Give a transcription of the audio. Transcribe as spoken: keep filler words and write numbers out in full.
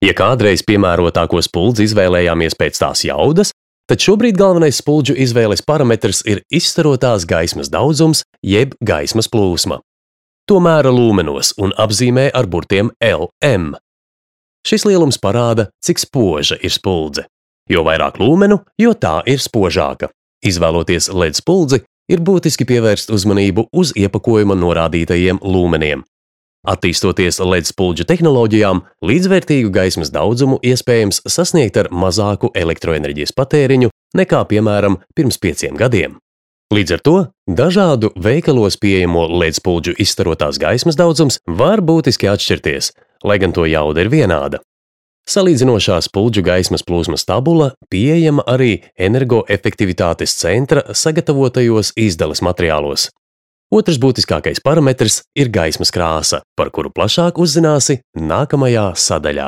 Ja kādreiz piemērotāko spuldzi izvēlējāmies pēc tās jaudas, tad šobrīd galvenais spuldžu izvēles parametrs ir izstarotās gaismas daudzums jeb gaismas plūsma. To mēra lūmenos un apzīmē ar burtiem L M. Šis lielums parāda, cik spoža ir spuldze. Jo vairāk lūmenu, jo tā ir spožāka. Izvēloties L E D spuldzi, ir būtiski pievērst uzmanību uz iepakojuma norādītajiem lūmeniem. Attīstoties L E D spuldžu tehnoloģijām, līdzvērtīgu gaismas daudzumu iespējams sasniegt ar mazāku elektroenerģijas patēriņu nekā, piemēram, pirms pieciem gadiem. Līdz ar to dažādu veikalos pieejamo L E D spuldžu izstarotās gaismas daudzums var būtiski atšķirties, lai gan to jauda ir vienāda. Salīdzinošā spuldžu gaismas plūsmas tabula pieejama arī energoefektivitātes centra sagatavotajos izdales materiālos. Otrs būtiskākais parametrs ir gaismas krāsa, par kuru plašāk uzzināsi nākamajā sadaļā.